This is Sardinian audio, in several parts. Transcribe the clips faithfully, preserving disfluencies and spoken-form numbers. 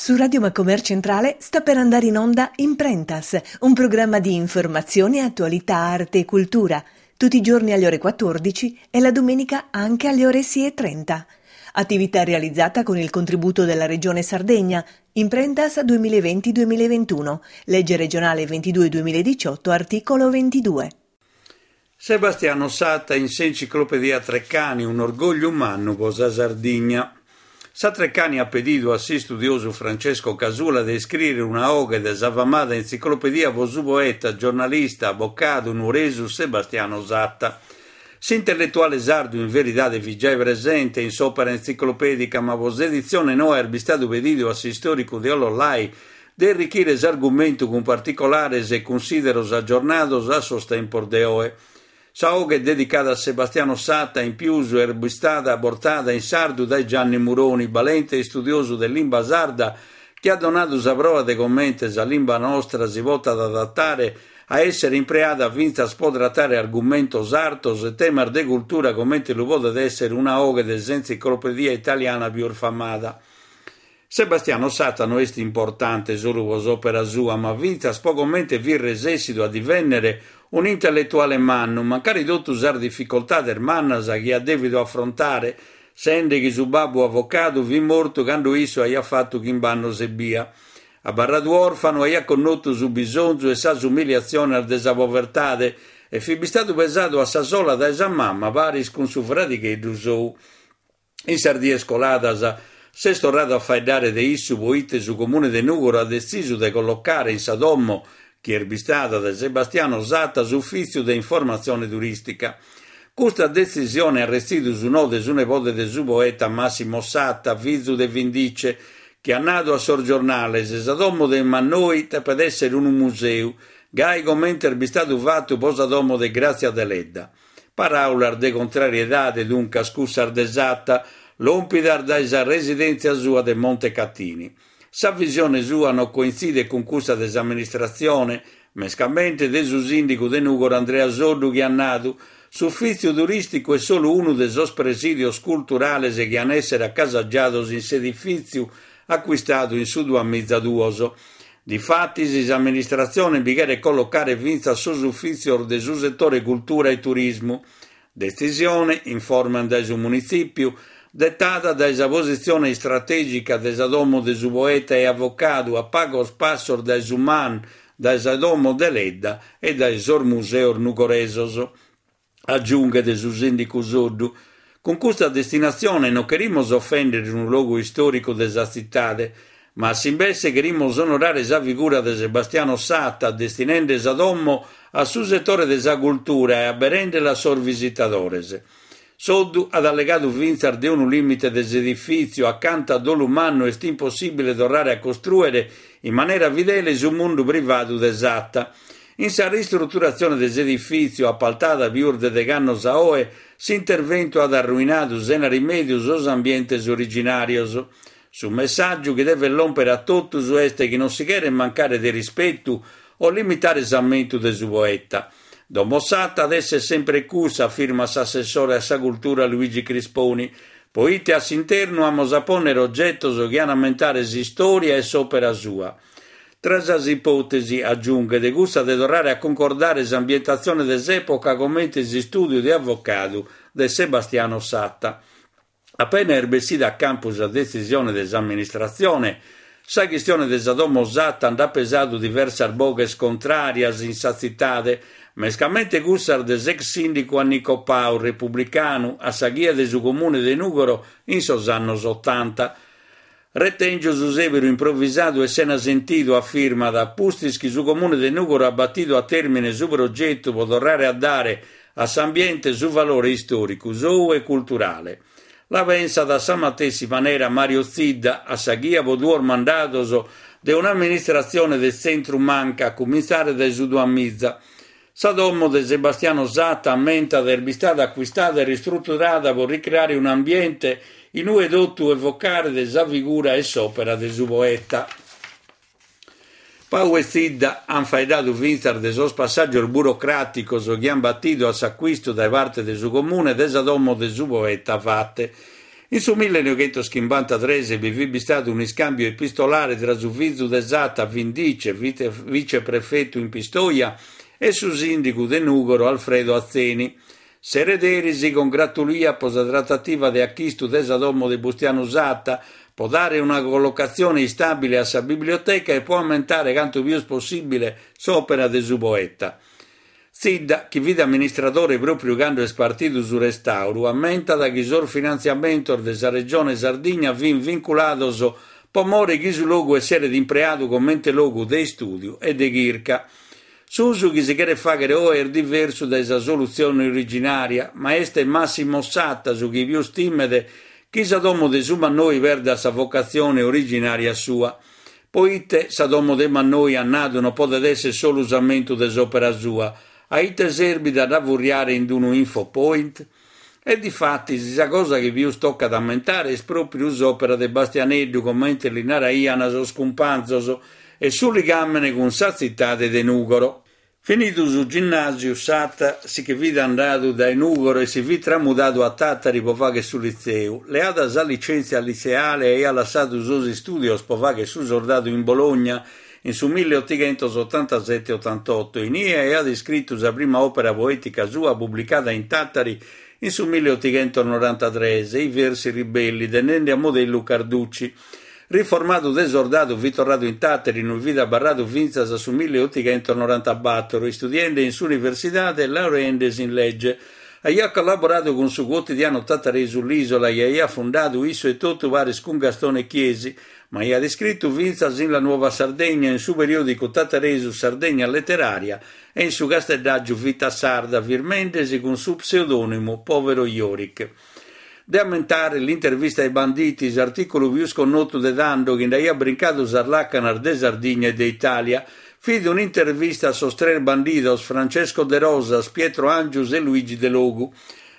Su Radio Macomer Centrale sta per andare in onda Imprentas, un programma di informazione, attualità, arte e cultura, tutti i giorni alle ore quattordici e la domenica anche alle ore sei e trenta. Attività realizzata con il contributo della Regione Sardegna, Imprentas duemilaventi duemilaventuno, legge regionale ventidue duemiladiciotto, articolo ventidue. Sebastiano Satta in s'enciclopedia Treccani, un orgogliu mannu po sa Sardigna. Sa Treccani at pedidu a s'istudiosu Francesco Casula de iscrìere una oghe de sa famada entziclopedia po su poeta, giornalista, avocadu nuoresu Sebastiano Satta. S'intelletuale sardu in veridade fit giai presente in s'òpera entziclopèdica, ma po s'editzione noa est bistadu pedidu a s'istòricu de Ollolai de errichire s'argumentu cun particulares e cunsideros aggiornados a sos tempos de oe. Sa oghe dedicada a Sebastiano Satta in pius est bistada bortada in sardu dae Gianni Muroni, balente istudiosu de limba sarda, chi at donadu sa proa de comente sa limba nostra si potat adattare a essere impreada fintzas po trattare argumentos artos e temas de cultura comente lu podet essere una oghe de s'entziclopedia italiana pius famada. Sebastiano Satta no est importante solu po s'òpera sua, ma fintzas po comente fit resessidu a divennere un'intelletuale mannu, mancari totu sas dificultades mannas chi at dèvidu afrontare, sende chi su babbu avocadu fit mortu cando issu aiat fatu chimb'annos ebbia. Abarradu òrfanu, aiat connotu su bisonzu e sas umiliatziones de sa povertade e fit bistadu pesadu a sa sola dae sa mama paris cun su fradigheddu sou. In sas dies coladas s'est torradu a faeddare de issu poite su comune de Nùgoro at detzisu de collocare in sa domo chi est bistada de Sebastiano Satta s'ufìtziu de informatzione turìstica. Custa detzisione at retzidu su no de su nebode de su poeta Massimo Satta, fizu de Vindice, chi at nadu a sos giornales sa domo de Mannoi depet essere unu museu, gai comente est bistadu fatu po sa domo de Grazia Deledda. Paraulas de contrariedade, duncas, cussas de Satta, lòmpidas dae sa residèntzia sua de Montecatini. Sa visione sua no cointzidet cun cussa de s'amministratzione, mescamente de su sìndigu de Nùgoro Andrea Soddu chi at nadu s'ufìtziu turìsticu est solu unu de sos presìdios culturales chi an essere acasagiados in s'edifìtziu acquistadu in su duamizaduos. Difatis s'amministratzione bi cheret collocare fintzas sos ufìtzios de su setore cultura e turismu. Detzisione, informan dae su munitzìpiu, detada dae sa positzione istratègica de sa domo de su poeta e avocadu a pagos passos dae su Man, dae sa domo Deledda e dae sos museos nugoresos. Agiunghet su sìndicu Soddu. Cun custa destinatzione non cherimus ofèndere unu logu istòricu de sa tzitade, ma a s'imbesse cherimus onorare sa figura de Sebastiano Satta, destinende sa domo a su setore de sa cultura e aberendela a sos visitadores. Soddu at allegadu fintzas de unu lìmite de s'edifìtziu acanta a dolu mannu est impossìbile torrare a costrùere in manera fidele su mundu privadu de Satta. In sa ristruturatzione de s'edifìtziu, apaltada pius de deg'annos a oe, s'interventu at arruinadu sena rimèdiu sos ambientes originàrios. Su messàgiu chi devet lòmpere a totus est chi non si cheret mancare de rispetu o limitare s'ammentu de su poeta. Domo Satta at essere sempre cussa, afirma s'assessore a sa cultura Luigi Crisponi, poite a s'internu amus a pònnere ogetos chi an a ammentare s'istòria e s'òpera sua. Tra sas ipòtesi, agiunghet, cussa de torrare a concordare s'ambientatzione de s'època comente s'istùdiu de avocadu de Sebastiano Satta. Appena est bessida a campu sa detzisione de s'amministratzione, sa chistione de sa domo Satta nd'at pesadu diversas boghes contràrias in sa tzitade, mescamente cussas de s'ex sìndicu Annico Pau, republicanu, a sa ghia de su comune de Nùgoro in sos annos otanta. Retèngio su sèberu improvisadu e sena sentidu, afirmat, pustis chi su comune de Nùgoro at batidu a tèrmine su progetu pro torrare a dare a s'ambiente su valore istòricu, sou e culturale. La pensat a sa matessi manera Mario Zidda, a sa ghia pro duos mandados de un'amministratzione de tzentru manca, a cumintzare dae su duamiza. Sa domo de Sebastiano Satta, ammentat, est bistada acquistada e ristruturada pro ricreare un'ambiente in ue totu evocare sa figura e s'òpera de su poeta. Pau e Zidda han faeddadu fintzas de sos passàgios burocràticos chi han batidu a s'acquistu dae parte de su comune de sa domo de su poeta Fate. In su millenovechentoschimbantatrès bi fit bistadu un'iscambiu epistolare tra su fizu de Satta, Vindice, viceprefettu in Pistoia, e su sìndigu de Nùgoro Alfredo Atzeni. S'erederi si congratuliat pro sa trattativa de achistu de sa domo de Bustianu Satta, pro dare una collocatzione istàbile a sa biblioteca e pro ammentare cantu pius possìbile s'òpera de su poeta. Zidda, chi fit amministradore pròpiu cando est partidu su restàuru, ammentat chi sos finantziamentos de sa Regione Sardigna fin vinculados pro more chi su logu esseret impreadu comente logu de istùdiu e de chirca. S'usu chi si cheret fàghere oe est diversu dae sa solutzione originària, ma est Massimo Satta su chi pius timet chi sa domo de su Mannoi perdat sa vocatzione originària sua. Poite sa domo de Mannoi at nadu non podet èssere solu s'ammentu de s'òpera sua, a ite serbit a dda furriare in unu infopoint? E difatis sa cosa chi pius tocat a ammentare est pròpiu s'òpera de Bastianeddu, comente li naraiant sos cumpanzos, e su ligàmene cun sa tzitade de Nùgoro. Finidu su ginnàsiu, Satta si che fit andadu dae Nùgoro e si fit tramudadu a Tàtari pro fàghere su litzeu. Leada sa licèntzia litzeale aiat lassadu sos istùdios pro fàghere su sordadu in Bologna in su milleottoghentosottantasette ottantotto. Inie aiat iscritu sa prima òpera poètica sua publicada in Tàtari in su milleottoghentosnorantatrès, I versi ribelli, tenende a modellu Carducci. Riformadu de sordadu fit torradu in Tàtari, inue fit abarradu fintzas a su milleottoghentosnorantabattor, istudiende in s'universidade e laureendesi in legge. Aiat collaboradu cun su quotidianu tataresu L'Isola chi aiat fundadu issu etotu paris cun Gastone Chiesi, ma aiat iscritu fintzas in La Nuova Sardegna, in su periòdicu tataresu Sardegna Letteraria e in su casteddàgiu Vita Sarda, firmendesi cun su pseudònimu Povero Jorik. De ammentare l'intervista ai banditi, s'artìculu pius connotu de tando chi nd'aiat brincadu sas làcanas de Sardigna e de Itàlia. Fit un'intervista a sos tres bandidos Francesco De Rosas, Pietro Angius e Luigi Delogu.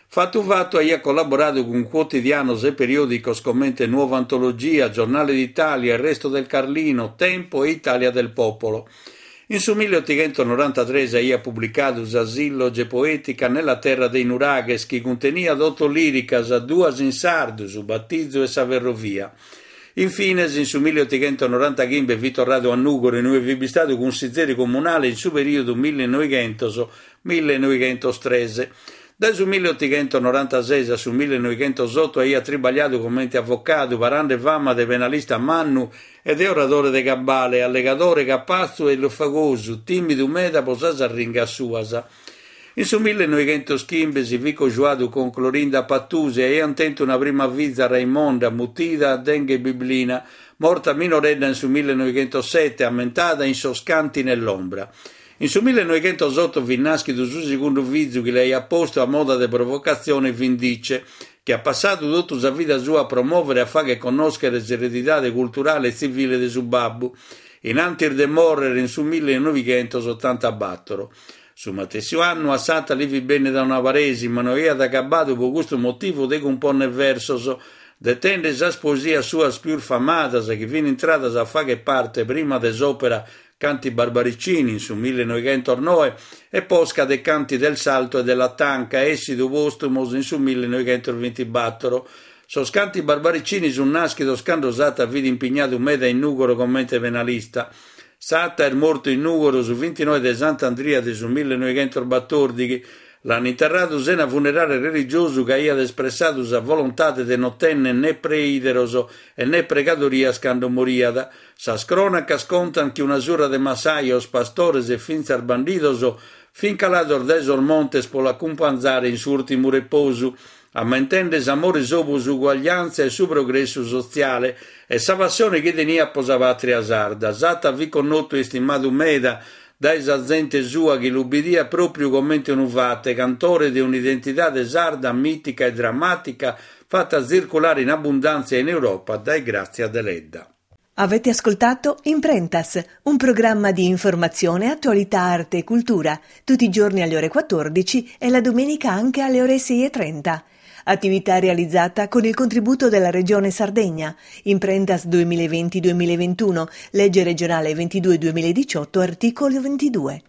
Fatu fatu aiat collaboradu cun quotidianos e periòdicos comente Nuova Antologia, Giornale d'Italia, Il Resto del Carlino, Tempo e Italia del Popolo. In su milleottoghentosnorantatrès aiat publicadu sa silloge poetica Nella terra dei nuraghes, chi cunteniat otto lìricas, duas in sardu, su battizu e sa ferrovia. Infines, in su milleottoghentosnorantaghimbe fit torradu a Nùgoro, inue fit bistadu cunsizeri comunale in su perìodu millenovechentos millenovechentotres. Dae su milleottoghentosnorantases a su millenovighentosotto aiat tribagliadu comente avocadu, parende fama de penalista mannu e de oradore de cabale, allegadore capatzu e fagosu, tìmidu meda pro sas arringas suas. In su millenovechentoschimbe si fit cojuadu cun Clorinda Pattusi e aiant tentu una prima fiza Raimonda, mutida Denghe Biblina, morta minoredda in su millenovighentosette, ammentada in sos Canti nell'ombra. In su millenovighentosotto fit nàschidu su segundu fizu chi l'aiat postu a moda de provocatzione Vindice, chi at passadu totu sa vida sua a promòvere e a fàghere connòschere s'eredidade culturale e tzivile de su babbu, in antis de mòrrere in su millenovighentosottantabattor. Su matessi annu a Satta li fit bènnida una paresi, ma no aiat agabbadu pro custu motivu de cumpònnere versos, detende sas poesias suas pius famadas chi fin intradas a fàghere parte prima de s'òpera Canti Barbaricini in su millenovighentosnoe e posca de Canti del Salto e della Tanca, essidu postumos in su millenovighentosvintibattor. Sos Canti Barbaricini sunt nàschidos cando Satta fit impignadu meda in Nùgoro comente penalista. Satta est mortu in Nùgoro su vintinoe de Sant'Andria de su millenovighentosbatòrdighi. L'an interradu sena funerale religiosu ca aiat espressadu sa volontade de non tènnere né preìderos e né pregadorias cando moriat. Sas crònacas contant chi una surra de massajos, pastores e fintzas bandidos fin calados dae sos montes pro l'acumpanzare in s'ùrtimu reposu, ammentende s'amore sou pro s'uguagliantzia e su progressu sotziale e sa passione chi teniat pro sa pàtria sarda. Satta fit connotu e istimadu meda dae sa zente sua chi lu bidiat pròpiu comente unu fate, cantore de un'identidade sarda mìtica e drammàtica fatta tzirculare in abbundàntzia in Europa dae Grazia Deledda. Avete ascoltato Imprentas, un programma di informazione, attualità, arte e cultura, tutti i giorni alle ore quattordici e la domenica anche alle ore sei e trenta. Attività realizzata con il contributo della Regione Sardegna. Imprentas duemilaventi duemilaventuno, legge regionale ventidue duemiladiciotto, articolo ventidue.